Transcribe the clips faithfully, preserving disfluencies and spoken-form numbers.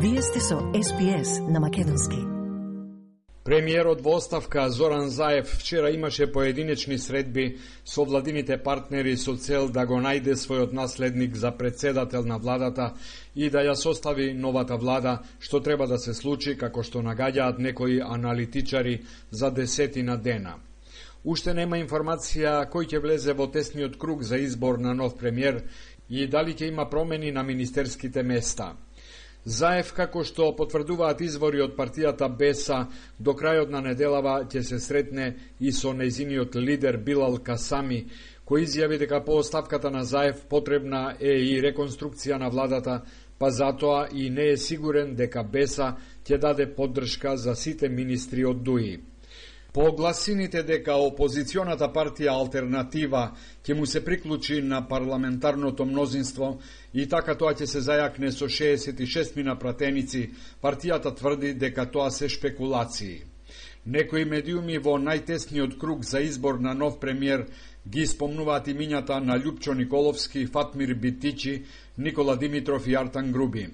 Вие сте со Ес Би Ес на македонски. Премиерот во оставка Зоран Заев вчера имаше поединечни средби со владините партнери со цел да го најде својот наследник за председател на владата и да ја состави новата влада, што треба да се случи, како што нагаѓаат некои аналитичари, за десетина дена. Уште нема информација кој ќе влезе во тесниот круг за избор на нов премиер и дали ќе има промени на министерските места. Заев, како што потврдуваат извори од партијата Беса, до крајот на неделава ќе се сретне и со нејзиниот лидер Билал Касами, кој изјави дека по оставката на Заев потребна е и реконструкција на владата, па затоа и не е сигурен дека Беса ќе даде поддршка за сите министри од ДУИ. По гласините дека опозиционата партија Алтернатива ќе му се приклучи на парламентарното мнозинство и така тоа ќе се зајакне со шеесет и шест мина пратеници, партијата тврди дека тоа се шпекулации. Некои медиуми во најтесниот круг за избор на нов премиер ги спомнуваат имињата на Љупчо Николовски, Фатмир Битичи, Никола Димитров и Артан Груби.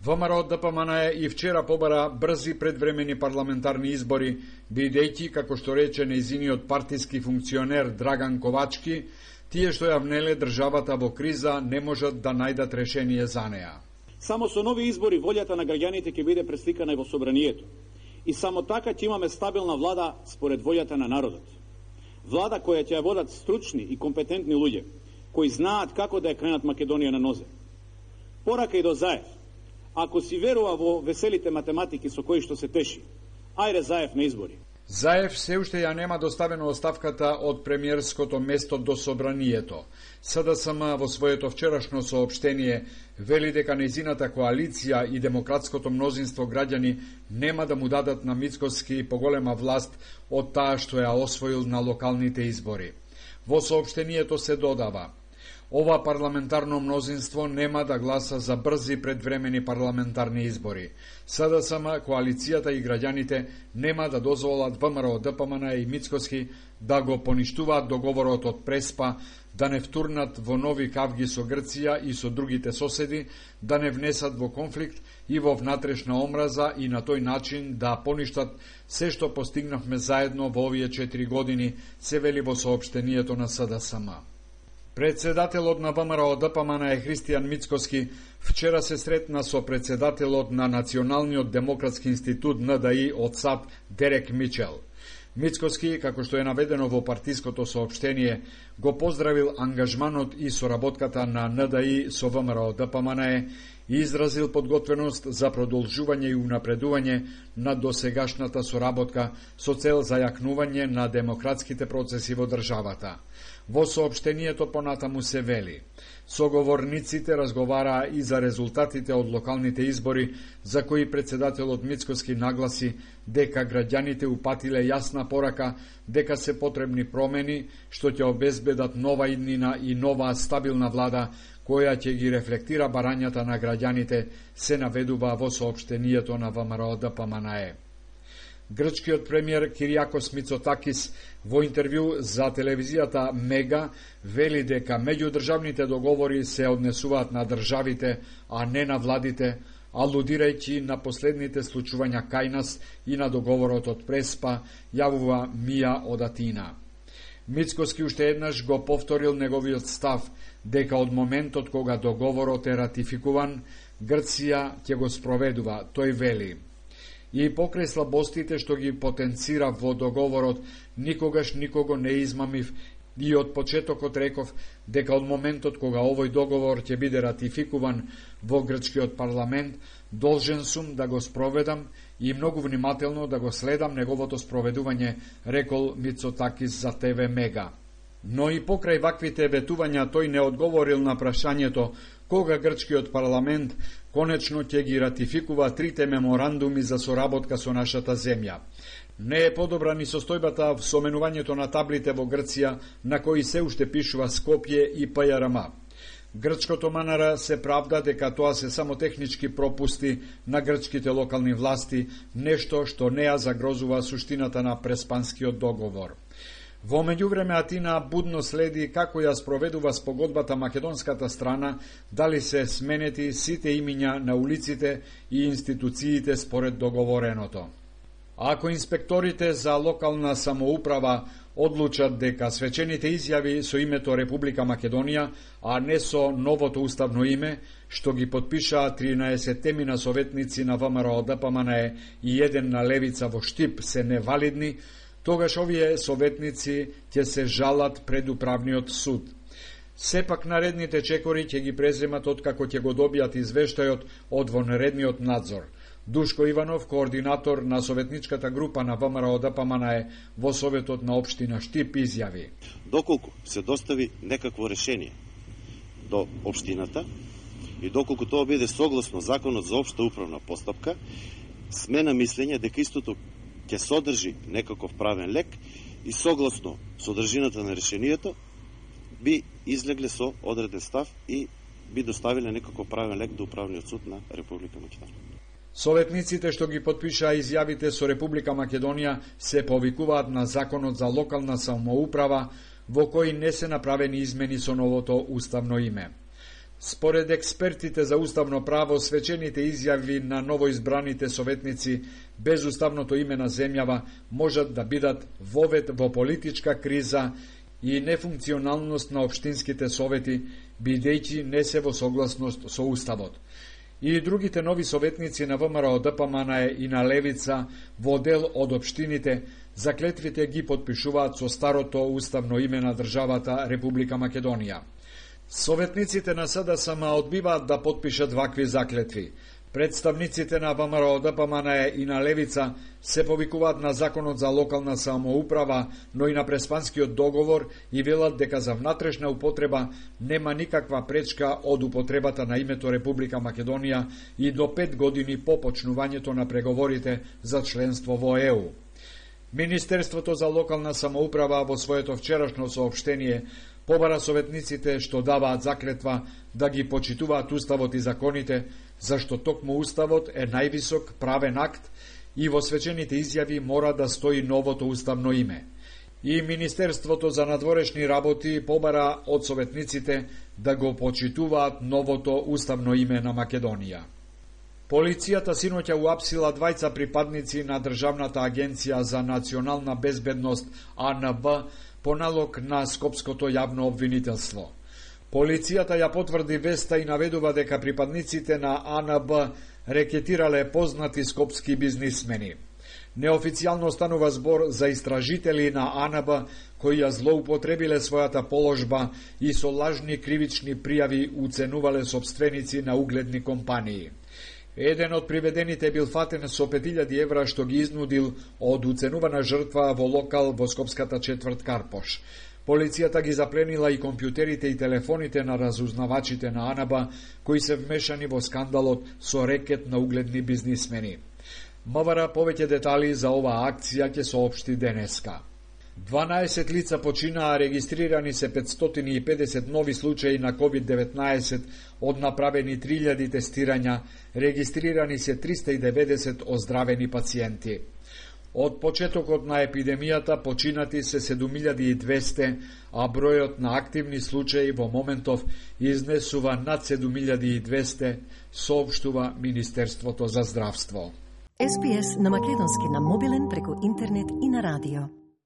ВМРО Д П М Н Е и вчера побара брзи предвремени парламентарни избори, бидејќи, како што рече нејзиниот партиски функционер Драган Ковачки, тие што ја внеле државата во криза не можат да најдат решение за неа. Само со нови избори волјата на граѓаните ќе биде пресликана и во собранието. И само така ќе имаме стабилна влада според волјата на народот. Влада која ќе ја водат стручни и компетентни луѓе, кои знаат како да ја кренат Македонија на нозе. Порака и до Заев. Ако си верува во веселите математики со кои што се теши, ајде Заев на избори. Заев се уште ја нема доставено оставката од премиерското место до собранието. С Д С М во своето вчерашно соопштение вели дека нејзината коалиција и демократското мнозинство граѓани нема да му дадат на Мицкоски поголема власт од таа што ја освоил на локалните избори. Во соопштението се додава: ова парламентарно мнозинство нема да гласа за брзи предвремени парламентарни избори. С Д С М, коалицијата и граѓаните нема да дозволат ВМРО Д П М Н и Мицкоски да го поништуваат договорот од Преспа, да не втурнат во нови кавги со Грција и со другите соседи, да не внесат во конфликт и во внатрешна омраза и на тој начин да поништат се што постигнавме заедно во овие четири години, се вели во соопштението на С Д С М. Председателот на ВМРО Д П М Н Е Христијан Мицкоски вчера се сретна со председателот на Националниот демократски институт Н Д И од САД Дерек Мичел. Мицкоски, како што е наведено во партиското соопштение, го поздравил ангажманот и соработката на Н Д И со ВМРО Д П М Н Е и изразил подготвеност за продолжување и унапредување на досегашната соработка со цел зајакнување на демократските процеси во државата. Во соопштението понатаму се вели: соговорниците разговараа и за резултатите од локалните избори, за кои председателот Мицкоски нагласи дека граѓаните упатиле јасна порака дека се потребни промени што ќе обезбедат нова иднина и нова стабилна влада која ќе ги рефлектира барањата на граѓаните, се наведува во соопштението на ВМРО Д П М Н Е. Грчкиот премиер Киријакос Мицотакис во интервју за телевизијата Мега вели дека меѓудржавните договори се однесуваат на државите, а не на владите, алудирајќи на последните случувања кај нас и на договорот од Преспа, јавува Мија од Атина. Мицкоски уште еднаш го повторил неговиот став дека од моментот кога договорот е ратификуван, Грција ќе го спроведува, тој вели. И покрај слабостите што ги потенцира во договорот, никогаш никого не измамив и од почетокот реков дека од моментот кога овој договор ќе биде ратификуван во грчкиот парламент, должен сум да го спроведам и многу внимателно да го следам неговото спроведување, рекол Мицотакис за Т В Мега. Но и покрај ваквите ветувања тој не одговорил на прашањето кога грчкиот парламент конечно ќе ги ратификува трите меморандуми за соработка со нашата земја. Не е подобра ни состојбата со менувањето на таблите во Грција, на кои се уште пишува Скопје и П Ј Р М. Грчкото М Н Р се правда дека тоа се само технички пропусти на грчките локални власти, нешто што не ја загрозува суштината на Преспанскиот договор. Во меѓувреме Атина будно следи како ја спроведува спогодбата македонската страна, дали се сменети сите имиња на улиците и институциите според договореното. Ако инспекторите за локална самоуправа одлучат дека свечените изјави со името Република Македонија, а не со новото уставно име, што ги потпишаа тринаесеттемина советници на ВМРО Д П М Н Е и еден на Левица во Штип се невалидни, тогаш овие советници ќе се жалат пред управниот суд. Сепак наредните чекори ќе ги преземат откако ќе го добијат извештајот од вонредниот надзор. Душко Иванов, координатор на советничката група на ВМРО Д П М Н Е во Советот на општина Штип, изјави: Доколку се достави некакво решение до општината и доколку тоа биде согласно Законот за општа управна постапка, сме на мислење дека истото ќе содржи некаков правен лек и согласно содржината на решението би излегле со одреден став и би доставиле некаков правен лек до Управниот суд на Република Македонија. Советниците што ги потпишаа изјавите со Република Македонија се повикуваат на Законот за локална самоуправа, во кој не се направени измени со новото уставно име. Според експертите за уставно право, свечените изјави на новоизбраните советници без уставното име на земјава можат да бидат вовет во политичка криза и нефункционалност на општинските совети, бидејќи не се во согласност со уставот. И другите нови советници на ВМРО Д П М Н Е и на Левица во дел од општините заклетвите ги потпишуваат со старото уставно име на државата Република Македонија. Советниците на С Д С М одбиваат да потпишат вакви заклетви. Представниците на ВМРО Д П М Н Е и на Левица се повикуваат на Законот за локална самоуправа, но и на Преспанскиот договор и велат дека за внатрешна употреба нема никаква пречка од употребата на името Република Македонија и до пет години по почнувањето на преговорите за членство во Е У. Министерството за локална самоуправа во своето вчерашно соопштение побара советниците што даваат заклетва да ги почитуваат уставот и законите, зашто токму уставот е највисок правен акт и во свечените изјави мора да стои новото уставно име. И Министерството за надворешни работи побара од советниците да го почитуваат новото уставно име на Македонија. Полицијата синоќа уапсила двајца припадници на Државната агенција за национална безбедност А Н Б по налог на Скопското јавно обвинителство. Полицијата ја потврди веста и наведува дека припадниците на А Н Б рекетирале познати скопски бизнисмени. Неофицијално станува збор за истражители на А Н Б кои ја злоупотребиле својата положба и со лажни кривични пријави уценувале сопственици на угледни компании. Еден од приведените бил фатен со пет илјади евра што ги изнудил од уценувана жртва во локал во скопската четврт Карпош. Полицијата ги запленила и компјутерите и телефоните на разузнавачите на А Н Б кои се вмешани во скандалот со рекет на угледни бизнисмени. МВР повеќе детали за оваа акција ќе соопшти денеска. дванаесет лица починаа, регистрирани се петстотини и педесет нови случаи на ковид деветнаесет, од направени три илјади тестирања, регистрирани се триста и деветдесет оздравени пациенти. Од почетокот на епидемијата починати се седум илјади и двесте, а бројот на активни случаи во моментов изнесува над седум илјади и двесте, соопштува Министерството за здравство. С Б С на македонски на мобилен преку интернет и на радио.